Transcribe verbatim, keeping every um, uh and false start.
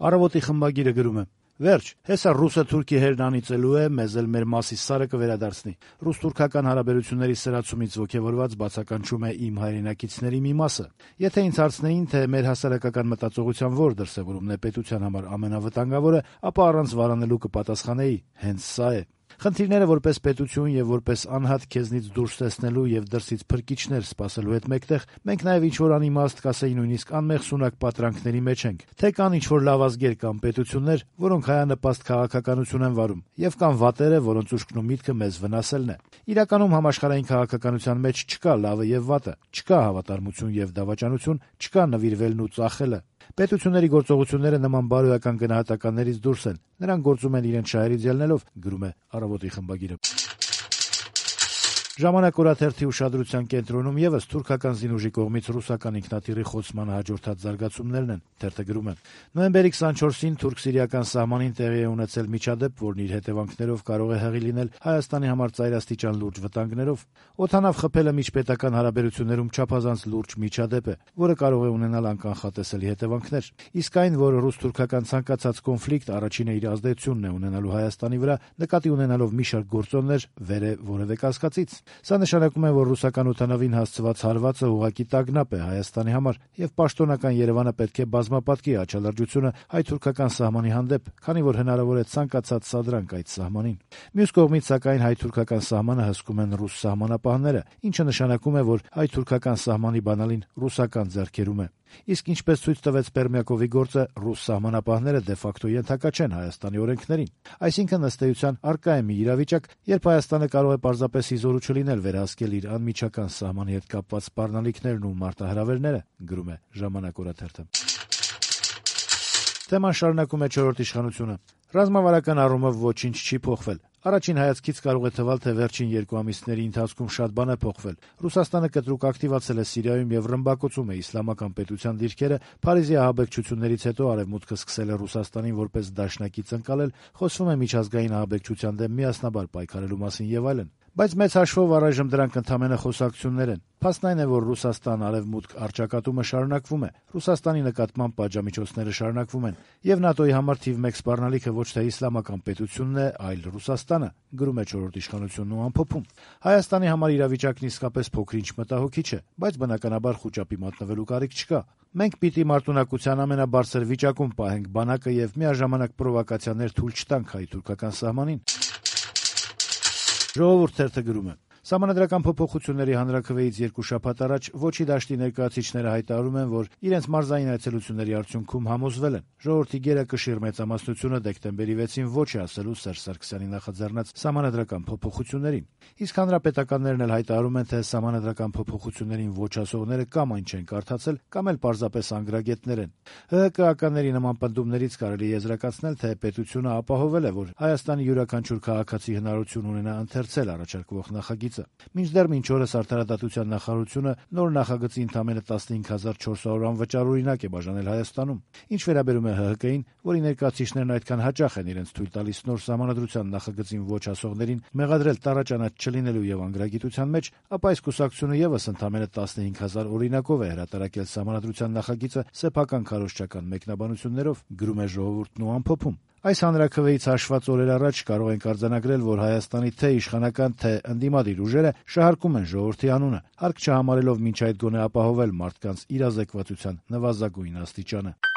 Առավոտի խմբագիրը գրում է. Վերջ, հեսա ռուսը թուրքի հերն անիծելու է, մեզ էլ մեր մասի սարը կվերադարձնի։ Ռուս-թուրքական հարաբերությունների սրացումից ոգևորված բացականչում է իմ հայրենակիցների մի մասը։ Եթե ինձ հարցնեին, թե մեր հասարակական մտածողության որ դրսևորումն է պետության համար ամենավտանգավորը, ապա առանց վարանելու կպատասխանեի՝ հենց սա է։ Խնդիրները որպես պետություն եւ որպես անհատ քեզնից դուրս տեսնելու եւ դրսից փրկիչներ սպասելու հետ մեկտեղ մենք նաեւ ինչ-որ անիմաստ կասեի նույնիսկ անմեղ սունակ պատրանքների մեջ ենք, թե կան ինչ-որ լավազգեր կամ պետություններ, որոնք հայանպաստ քաղաքականություն են վարում, եւ կան վատերը, որոնց ուշքն ու միտքը մեզ վնասելն է։ Իրականում համաշխարհային քաղաքականության մեջ չկա լավը եւ վատը, չկա հավատարմություն եւ դավաճանություն, չկա նվիրվելն ու ծախելը։ Պետությունների գործողությունները նման բարոյական գնահատականներից դուրս են, նրանք գործում են իրենց շահերից ելնելով, գրում է Առավոտի խմբագիրը։ Ժամանակ օրաթերթի ուշադրության կենտրոնում եւս թուրքական զինուժի կողմից ռուսական ինքնաթիռի խոցմանը հաջորդած զարգացումներն են։ Թերթը գրում է. Նոյեմբերի քսանչորսին թուրք-սիրիական սահմանին տեղի է ունեցել միջադեպ, որն իր հետևանքներով կարող է հեղի լինել Հայաստանի համար ծայրաստիճան լուրջ վտանգներով։ Օդանավ խփելը միջպետական հարաբերություններում չափազանց լուրջ միջադեպ է, որը կարող է ունենալ անկանխատեսելի հետևանքներ։ Իսկ այն, որ ռուս-թուրքական ցանկացած կոնֆլիկտ առաջինը իր ազդեցությունն է ունենալու Հայաստանի վրա, նկատի ունենալով մի շարք գործոններ, վեր է որևէ կասկածից։ Սա նշանակում է, որ ռուսական օդանավին հասցված հարվածը ուղղակի տագնապ է Հայաստանի համար, եւ պաշտոնական Երևանը պետք է բազմապատկի աչալրջությունը հայ-թուրքական սահմանի հանդեպ, քանի որ հնարավոր է ցանկացած սադրանք այդ սահմանին։ Մյուս կողմից, սակայն, հայ-թուրքական սահմանը հսկում են ռուս սահմանապահները, ինչը նշանակում է, որ հայ-թուրքական սահմանի բանալին ռուսական ձեռքերում է։ Իսկ ինչպես ցույց տվեց Պերմյակովի գործը, ռուս սահմանապահները դե ֆակտո ենթակա չեն Հայաստանի օրենքներին։ Այսինքն, ըստ էության, առկա է մի իրավիճակ, երբ Հայաստանը կարող է պարզապես իզորու չլինել վերահսկել իր անմիջական սահմանի հետ կապված սպառնալիքներն ու մարտահրավերները, գրում է Ժամանակ օրաթերթը։ Թեման շարունակում է չորրորդ իշխանությունը։ Ռազմավարական առումով ոչինչ չի փոխվել։ Առաջին հայացքից կարող է թվալ, թե վերջին երկու ամիսների ընթացքում շատ բան է փոխվել։ Ռուսաստանը կտրուկ ակտիվացել է Սիրիայում եւ ռմբակոծում է իսլամական պետության դիրքերը, Փարիզի ահաբեկչություններից հետո Արևմուտքը սկսել է Ռուսաստանին որպես դաշնակից ընկալել, խոսվում է միջազգային ահաբեկչության դեմ միասնաբար պայքարելու մասին եւ այլն։ Բայց մեծ հաշվով առայժմ դրանք ընդամենը խոսակցություններ են։ Փաստն այն է, որ Ռուսաստան-Արևմուտք առճակատումը շարունակվում է, Ռուսաստանի նկատմամբ պատժամիջոցները շարունակվում են, եւ ՆԱՏՕ-ի համար թիվ մեկ սպառնալիքը ոչ թե իսլամական պետությունն է, այլ Ռուսաստանը, գրում է չորրորդ իշխանությունն ու ամփոփում։ Հայաստանի համար իրավիճակն իսկապես փոքր-ինչ մտահոգիչ է, բայց բնականաբար խուճապի մատնվելու կարիք չկա։ Մենք պիտի մարտունակության ամենաբարձր վիճակում պահենք բանակը եւ միաժամանակ պրովոկացիաներ թույլ չտանք հայ-թուրքական սահմանին։ Ժողովուրդ թերթը գրում է. Սահմանադրական փոփոխությունների հանրաքվեից երկու շաբաթ առաջ Ոչի դաշտի ներկայացուցիչները հայտարարում են, որ իրենց մարզային այցելությունների արդյունքում համոզվել են, ժողովրդի գերակշիռ մեծամասնությունը դեկտեմբերի վեցին ոչ է ասելու Սերժ Սարգսյանի նախաձեռնած սահմանադրական փոփոխություններին։ Իսկ հանրապետականներն էլ հայտարարում են, թե սահմանադրական փոփոխություններին ոչ ասողները կամ այն չեն կարդացել, կամ էլ պարզապես անգրագետներ են։ ՀՀԿ-ականների նման պնդումներից կարելի է եզրակացնել, թե պետությունը ապահովել է, որ Հայաստանի յուրաքանչյուր քաղաքացի հնարավորություն ունենա ընթերցել առաջարկվող նախագիծը։ Մինչդեռ մինչ օրս Արդարադատության նախարարությունը նոր նախագծի ընդամենը տասնհինգ հազար չորս սազոր անվճար օրինակ է բաժանել Հայաստանում։ Ինչ վերաբերում է ՀՀԿ-ին, որի ներկայացուցիչներն այդքան հաճախ են իրենց թույլ տալիս նոր սահմանադրության նախագծին ոչ ասողներին մեղադրել տառաճանած չլինելու եւ անգրագիտության մեջ, ապա այս կուսակցությունը եւս ընդամենը տասնհինգ հազար օրինակով է հրատարակել սահմանադրության նախագիծը սեփական քարոզչական մեկնաբանություններով, գրում է Ժողովուրդն ու ամփոփում։ Այս հանրաքվեից հաշված օրեր առաջ կարող ենք արձանագրել, որ Հայաստանի թե իշխանական, թե ընդդիմադիր ուժերը շահարկում են ժողովրդի անունը, հարկ չհամարելով մինչ այդ գոնե ապահովել մարդկանց իրազեկվածության նվազագույն աստիճանը։